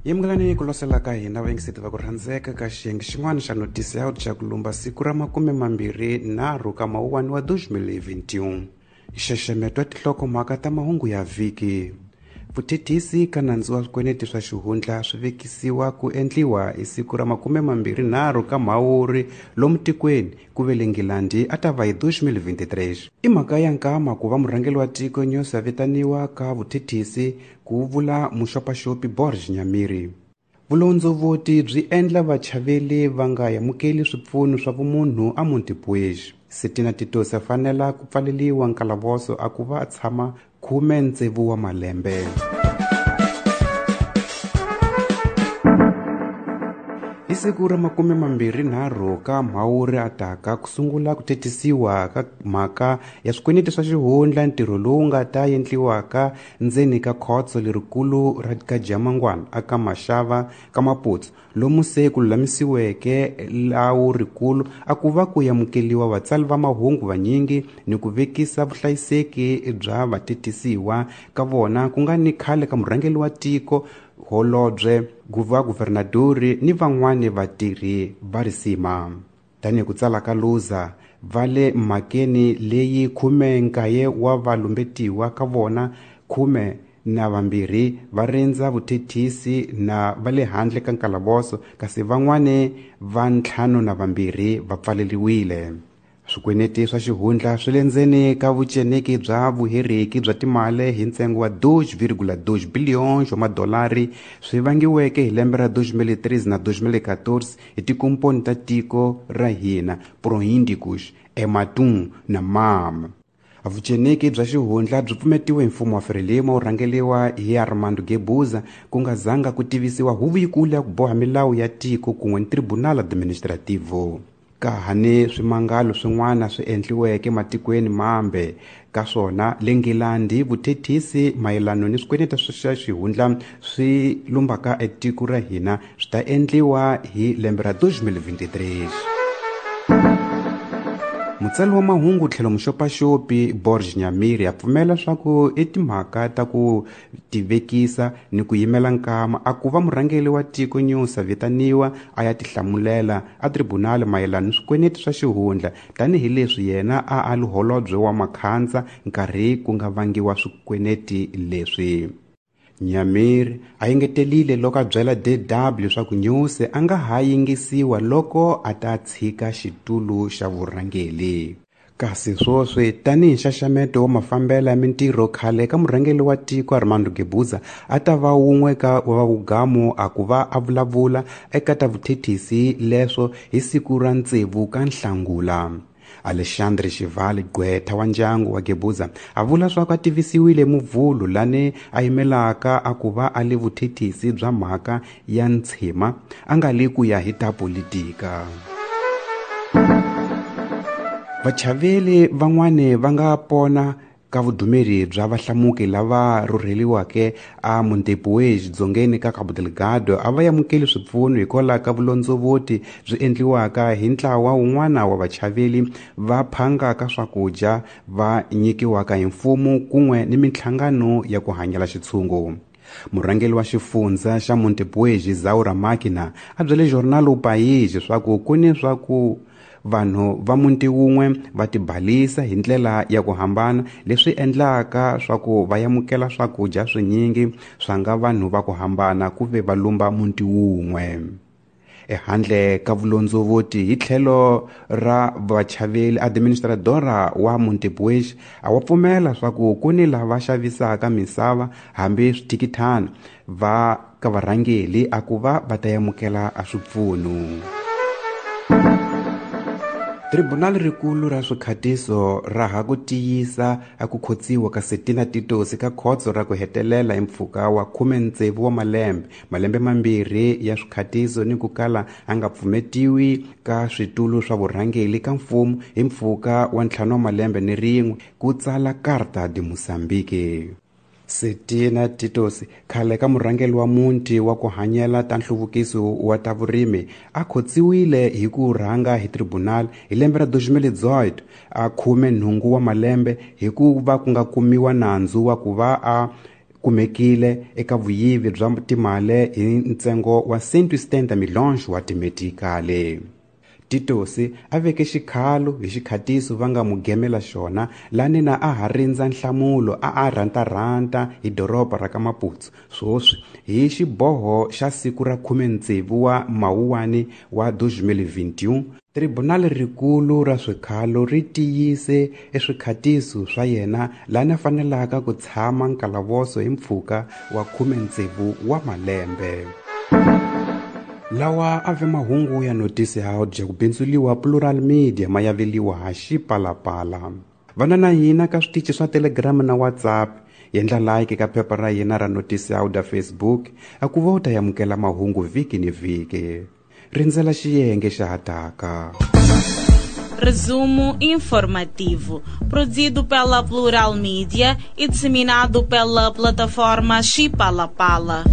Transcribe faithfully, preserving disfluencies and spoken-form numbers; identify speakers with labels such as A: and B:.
A: Yimukelani ku losela ka hina vayingiseti va ku rhandzeka ka xiyenge xin'wana xa notisi ya xa ku lumba siku ra makume mambirhi nharhu ka mawuwani wa deux mille vingt et un. Nxaxameto wa tinhlokomhaka ta mahungu ya vhiki. Vuthethisi ka nandzu wa swikweleti swa xihundla swi vekisiwa ku endliwa hi siku ra makume mambirhi nharhu ka Mhawuri lomu tikweni ku ve le Nghilandhi a ta va hi deux mille vingt-trois. I mhaka ya nkama ku va murhangeri wa tiko Nyusi a vitaniwa ka vuthethisi ku vula muxopaxopi Borges Nyamirhi. Vulondzovoti byi endla vachaveli va nga amukeli swipfuno swa vumunhu a Montepuez. Setina Titosi a fanela ku pfaleliwa nkalavoso a ku va a tshama khume ntsevu wa malembe. Hi siku ra makume mambirhi nharhu ka Mhawuri a taka ku sungula ku thetisiwa ka mhaka ya swikweleti swa xihundla, ntirho lowu nga ta endliwaka ndzeni ka khotso lerikulu ra ka Jamangwana aka Mashava ka Maputo, lomu se ku lulamisiweke lawu rikulu a ku va ku amukeliwa vatsali va mahungu vanyingi ni ku vekisa vuhlayiseki bya vatetisiwa ka vona ku nga ni khale ka murhangeri wa tiko holobye guva guvernadori ni van'wani vatirhi va risima. Tanihi ku tsala ka Luza va le mhakeni leyi khume nkaye wa valumbetiwa ka vona khume na vambirhi va rindza vuthethisi na va le handle ka nkalavoso, kasi van'wani va ntlhanu na vambirhi va pfaleriwile. Swikweleti swa xihundla swi le ndzeni ka vuceneki bya vuheriki bya timali hi ntsengo wa deux virgule deux billions wa madolari swi vangiweke hi lembe ra deux mille treize na deux mille quatorze hi tikomponi ta tiko ra hina Proindicus, Ematum na MAM. Vuceneki bya xihundla byi pfumetiwe hi mfumo wa Frelimo wu rhangeriwa hi Armando Guebuza ku nga zanga ku tivisiwa huvo yikulu ya ku boha milawu ya tiko kun'we ni Tribunal Administrativo. Ka ha ni swimangalo swin'wana swi endliweke matikweni mambe ka swona le Nghilandhi, vuthethisi mayelana ni swikweleti swa xihundla swi lumbaka etiko ra hina swi ta endliwa hi lembe ra deux mille vingt-trois. Mutsali wa mahungu tlhelo muxopaxopi Borges Nyamirhi a pfumela swa ku i timhaka ta ku tivekisa ni ku yimela nkama a ku va murhangeri wa tiko Nyusi a vitaniwa a ya tihlamulela a tribunal mayelana ni swikweleti swa xihundla, tanihileswi yena a a li holobye wa makhandza nkarhi ku nga vangiwa swikweleti leswi. Nyamirhi a engetelile loko a byela D W leswaku Nyusi a nga ha yingisiwa loko a ta tshika xitulu xa vurhangeri. Kasi swoswi tanihi nxaxameto wa mafambelo ya mintirho khale ka murhangeri wa tiko Armando Guebuza a ta va wun'we ka wa vugamu a ku va a vulavula eka ta vuthethisi leswo hi siku ra tsevu ka Nhlangula. Alexandre Xivali, gqwetha wa ndyangu wa Guebuza, a vula swa ku a tivisiwile Muvhulu lani a yimelaka a ku va a le vuthethisi bya mhaka ya ntshima a nga le ku ya hi ta politika. Vachaveli van'wani va nga pona ka vudumeri bya vahlamuki lava rhurheliweke a Montepuez dzongeni ka Cabo Delgado a va amukeli swipfuno hikwalaho ka vulondzovoti byi endliwaka hi ntlawa wun'wana wa vachaveli va phangaka swakudya va nyikiwaka hi mfumo kun'we ni minhlangano ya ku hanyela xitshungu. Murhangeri wa xifundza xa Montepuez Zaura Makina a byele Jornal O País leswaku ku ni swa ku vanhu va muti wun'we va tibalisa hi ndlela ya ku hambana leswi endlaka swa ku va amukela swakudya swinyingi swa nga vanhu va ku hambana ku ve va lumba muti wun'we. Ehandle ka vulondzovoti hi tlhelo ra vachaveli, administradora wa Montepuez a wa pfumela swa ku ku ni lava xavisaka misava hambi swithikithana va ka varhangeri a ku va va ta amukela a swipfuno. Tribunal rikulu ra swikhatiso ra ha ku tiyisa a ku khotsiwa ka Setina Titosi ka khotso ra ku hetelela hi mpfhuka wa khume tsevu wa malembe, malembe mambirhi ya swikhatiso ni ku kala a nga pfumetiwi ka switulu swa vurhangeri ka mfumo hi mpfhuka wa ntlhanu wa malembe ni rin'we, ku tsala Carta de Moçambique. Setina Titosi, khale ka murhangeri wa muti wa ku hanyela ta nhluvukiso wa ta vurimi, a khotsiwile hi ku rhanga hi tribunal hi lembe ra deux mille dix-huit, a khume nhungu wa malembe hi ku va ku nga kumiwa nandzu wa ku va a kumekile eka vuyivi bya timali hi ntsengo wa cento e setenta milhões wa timetikale. Titosi a veke xikhalo hi xikhatiso va nga mugemela xona lani na a ha rindza nhlamulo a a rhantarhanta hi doroba ra ka Maputo swoswi hi xiboho xa siku ra khume tsevu wa Mawuwani wa dois mil e vinte e um. Tribunal rikulu ra swikhalo ri tiyise eswikhatiso swa yena lani a fanelaka ku tshama nkalavoso hi mpfhuka wa khume tsevu wa malembe. Lawa a ve mahungu ya notisi ya dya ku bindzuliwa Plural Media ma yaveliwa ha Xipalapala. Vana na hina ka switichi swa Telegram na WhatsApp, yendla like ka phepha ra hina ra notisi ya da Facebook, a ku va u ta yamukela mahungu vhiki ni vhiki. Rindzela xiyenge xa hataka.
B: Resumo informativo, produzido pela Plural Media e disseminado pela plataforma Xipalapala.